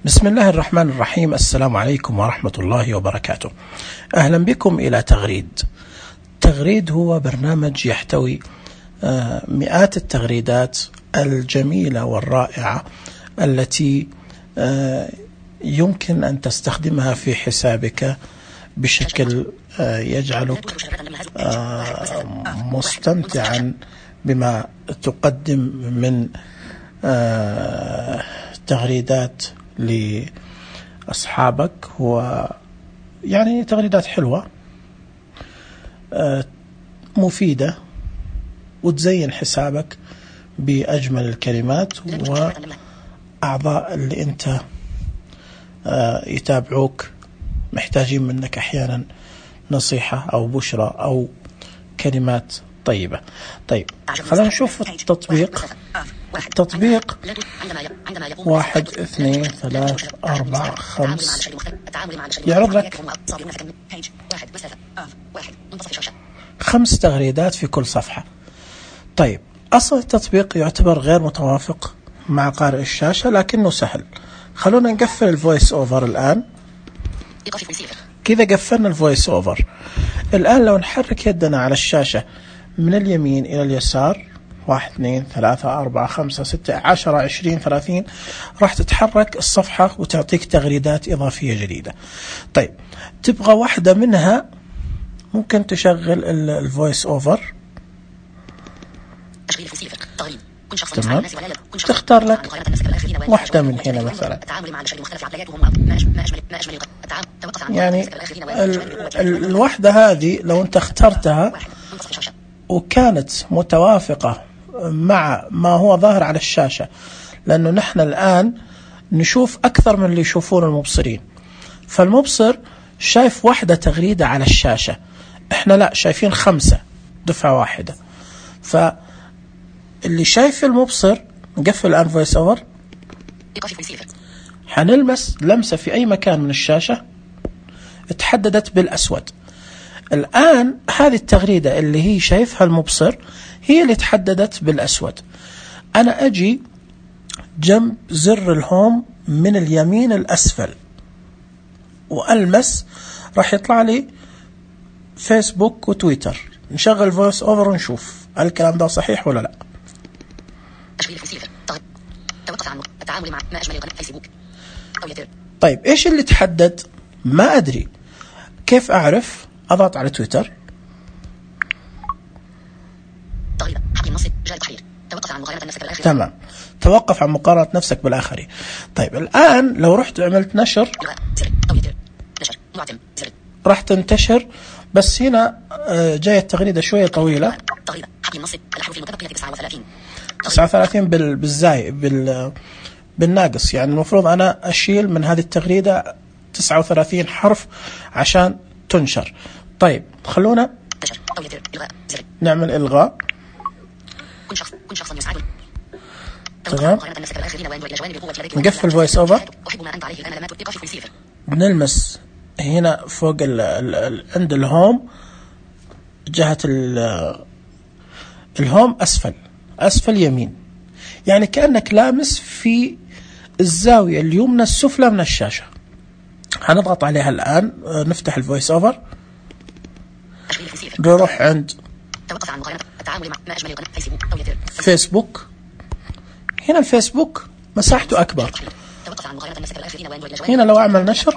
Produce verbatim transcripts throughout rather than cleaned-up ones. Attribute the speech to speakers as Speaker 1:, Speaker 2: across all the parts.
Speaker 1: بسم الله الرحمن الرحيم. السلام عليكم ورحمة الله وبركاته. أهلا بكم إلى تغريد. تغريد هو برنامج يحتوي مئات التغريدات الجميلة والرائعة التي يمكن أن تستخدمها في حسابك بشكل يجعلك مستمتعا بما تقدم من تغريدات لأصحابك، ويعني تغريدات حلوة مفيدة وتزين حسابك بأجمل الكلمات، وأعضاء اللي أنت يتابعوك محتاجين منك أحيانا نصيحة أو بشرة أو كلمات طيبة. طيب خلينا نشوف التطبيق. التطبيق واحد اثنين ثلاث أربعة خمس يعرض لك خمس تغريدات في كل صفحة. طيب أصل التطبيق يعتبر غير متوافق مع قارئ الشاشة لكنه سهل. خلونا نقفل الفويس أوفر الآن. كذا قفلنا الفويس أوفر. الآن لو نحرك يدنا على الشاشة من اليمين إلى اليسار، واحد اثنين ثلاثة أربعة خمسة ستة عشرة عشرين ثلاثين، راح تتحرك الصفحة وتعطيك تغريدات إضافية جديدة. طيب تبغى واحدة منها ممكن تشغل الفويس أوفر. تمام. تختار لك واحدة من هنا مثلا، يعني الوحدة هذه لو أنت اخترتها وكانت متوافقة مع ما هو ظاهر على الشاشة، لأنه نحن الآن نشوف أكثر من اللي يشوفون المبصرين، فالمبصر شايف واحدة تغريدة على الشاشة، إحنا لا شايفين خمسة دفعة واحدة. فاللي شايف المبصر نقفل الآن فويس أوفر، حنلمس لمسة في أي مكان من الشاشة اتحددت بالأسود. الآن هذه التغريدة اللي هي شايفها المبصر هي اللي تحددت بالأسود. أنا أجي جنب زر الهوم من اليمين الأسفل وألمس، راح يطلع لي فيسبوك وتويتر. نشغل فويس أوفر ونشوف الكلام ده صحيح ولا لا. طيب إيش اللي تحدد؟ ما أدري كيف أعرف. أضغط على تويتر. تمام، توقف عن مقارنة نفسك بالآخرين. طيب الآن لو رحت عملت نشر راح تنتشر، بس هنا جاية التغريدة شوية طويلة، تسعة وثلاثين بالزاي بال بالناقص، يعني المفروض أنا أشيل من هذه التغريدة تسعة وثلاثين حرف عشان تنشر. طيب خلونا نعمل إلغاء. تمام، نقفل فويس أوفر. بنلمس هنا فوق ال ال عند الهوم، جهة الهوم أسفل أسفل يمين، يعني كأنك لامس في الزاوية اليمنى السفلى من الشاشة. هنضغط عليها الآن. نفتح الفويس أوفر، نروح عند فيسبوك. هنا الفيسبوك مساحته أكبر. هنا لو أعمل نشر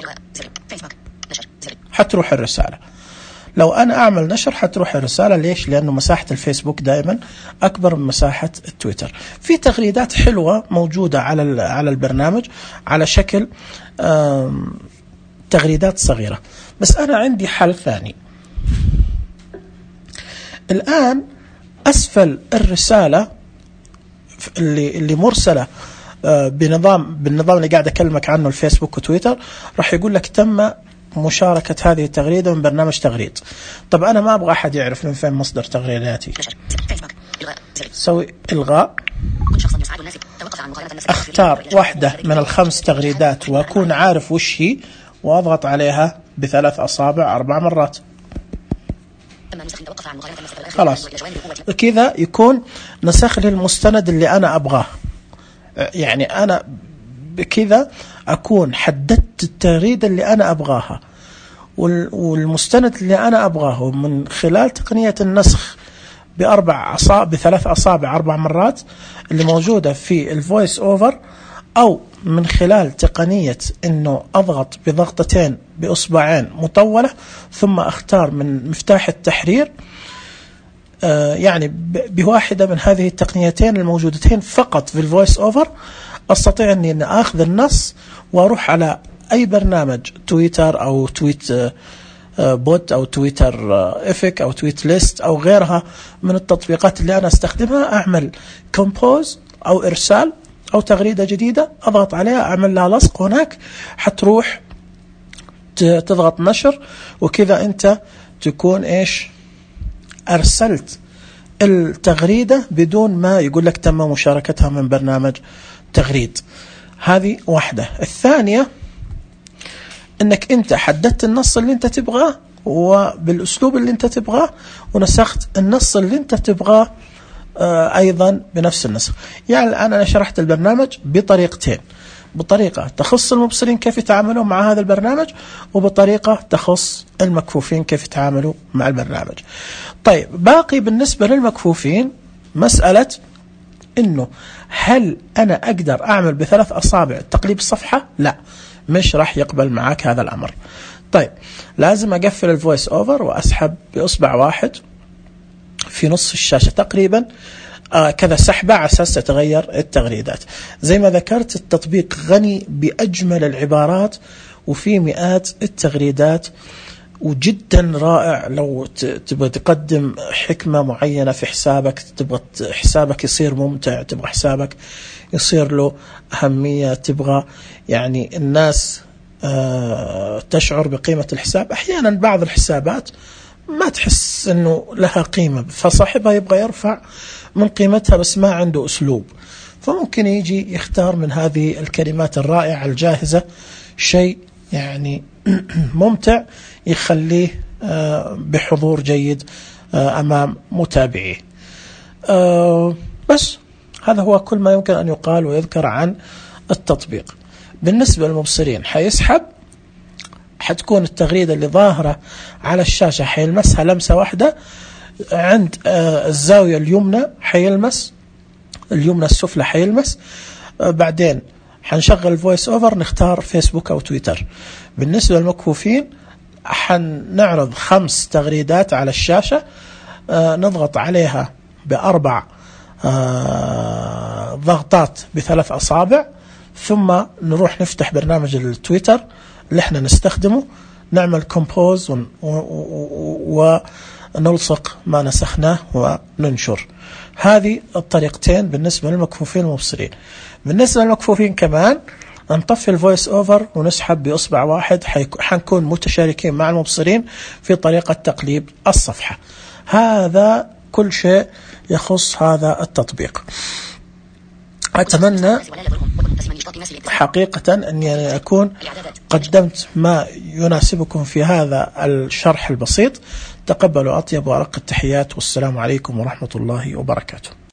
Speaker 1: حتروح الرسالة. لو أنا أعمل نشر حتروح الرسالة. ليش؟ لأنه مساحة الفيسبوك دائما أكبر من مساحة التويتر. في تغريدات حلوة موجودة على على البرنامج على شكل تغريدات صغيرة، بس أنا عندي حل ثاني. الآن أسفل الرسالة اللي اللي مرسلة بنظام بالنظام اللي قاعد أكلمك عنه الفيسبوك وتويتر، راح يقول لك تم مشاركة هذه التغريدة من برنامج تغريد. طب أنا ما أبغى أحد يعرف من فين مصدر تغريداتي. سوي إلغاء. أختار واحدة من الخمس تغريدات وأكون عارف وش هي، وأضغط عليها بثلاث أصابع أربع مرات. خلاص كذا يكون نسخ لي المستند اللي أنا أبغاه. يعني أنا بكذا أكون حددت التغريدة اللي أنا أبغاها والمستند اللي أنا أبغاه من خلال تقنية النسخ بأربع أصابع بثلاث أصابع أربع مرات اللي موجودة في الفويس أوفر، أو من خلال تقنية إنه أضغط بضغطتين بأصبعين مطولة ثم أختار من مفتاح التحرير. آه يعني بواحدة من هذه التقنيتين الموجودتين فقط في الفويس أوفر أستطيع أني أن أخذ النص وأروح على أي برنامج تويتر أو تويت آه بوت أو تويتر آه إفك أو تويت ليست أو غيرها من التطبيقات اللي أنا أستخدمها، أعمل كومبوز أو إرسال أو تغريدة جديدة، أضغط عليها أعمل لها لصق هناك، حتروح تضغط نشر، وكذا أنت تكون إيش أرسلت التغريدة بدون ما يقول لك تم مشاركتها من برنامج تغريد. هذه واحدة. الثانية أنك أنت حددت النص اللي أنت تبغاه وبالأسلوب اللي أنت تبغاه، ونسخت النص اللي أنت تبغاه أيضا بنفس النسخ. يعني الآن أنا شرحت البرنامج بطريقتين، بطريقة تخص المبصرين كيف يتعاملون مع هذا البرنامج، وبطريقة تخص المكفوفين كيف يتعاملوا مع البرنامج. طيب باقي بالنسبة للمكفوفين مسألة إنه هل أنا أقدر أعمل بثلاث أصابع تقليب الصفحة؟ لا، مش راح يقبل معك هذا الأمر. طيب لازم أقفل الفويس أوفر وأسحب بأصبع واحد في نصف الشاشة تقريبا آه كذا سحبة على أساس تتغير التغريدات. زي ما ذكرت التطبيق غني بأجمل العبارات وفي مئات التغريدات، وجدا رائع. لو تبغى تقدم حكمة معينة في حسابك، تبغى حسابك يصير ممتع، تبغى حسابك يصير له أهمية، تبغى يعني الناس آه تشعر بقيمة الحساب. أحيانا بعض الحسابات ما تحس أنه لها قيمة، فصاحبها يبغى يرفع من قيمتها بس ما عنده أسلوب، فممكن يجي يختار من هذه الكلمات الرائعة الجاهزة شيء يعني ممتع يخليه بحضور جيد أمام متابعيه. بس هذا هو كل ما يمكن أن يقال ويذكر عن التطبيق. بالنسبة للمبصرين حيسحب، حتكون التغريدة اللي ظاهرة على الشاشة حيلمسها لمسة واحدة، عند الزاوية اليمنى حيلمس، اليمنى السفلى حيلمس، بعدين حنشغل الفويس أوفر نختار فيسبوك أو تويتر. بالنسبة للمكفوفين حنعرض خمس تغريدات على الشاشة، نضغط عليها بأربع ضغطات بثلاث أصابع، ثم نروح نفتح برنامج التويتر اللي احنا نستخدمه، نعمل كومبوز ونلصق ما نسخناه وننشر. هذه الطريقتين بالنسبة للمكفوفين والمبصرين. بالنسبة للمكفوفين كمان نطفي الفويس أوفر ونسحب بإصبع واحد، حنكون متشاركين مع المبصرين في طريقة تقليب الصفحة. هذا كل شيء يخص هذا التطبيق. أتمنى حقيقة أني أكون قدمت ما يناسبكم في هذا الشرح البسيط. تقبلوا أطيب وأرق التحيات، والسلام عليكم ورحمة الله وبركاته.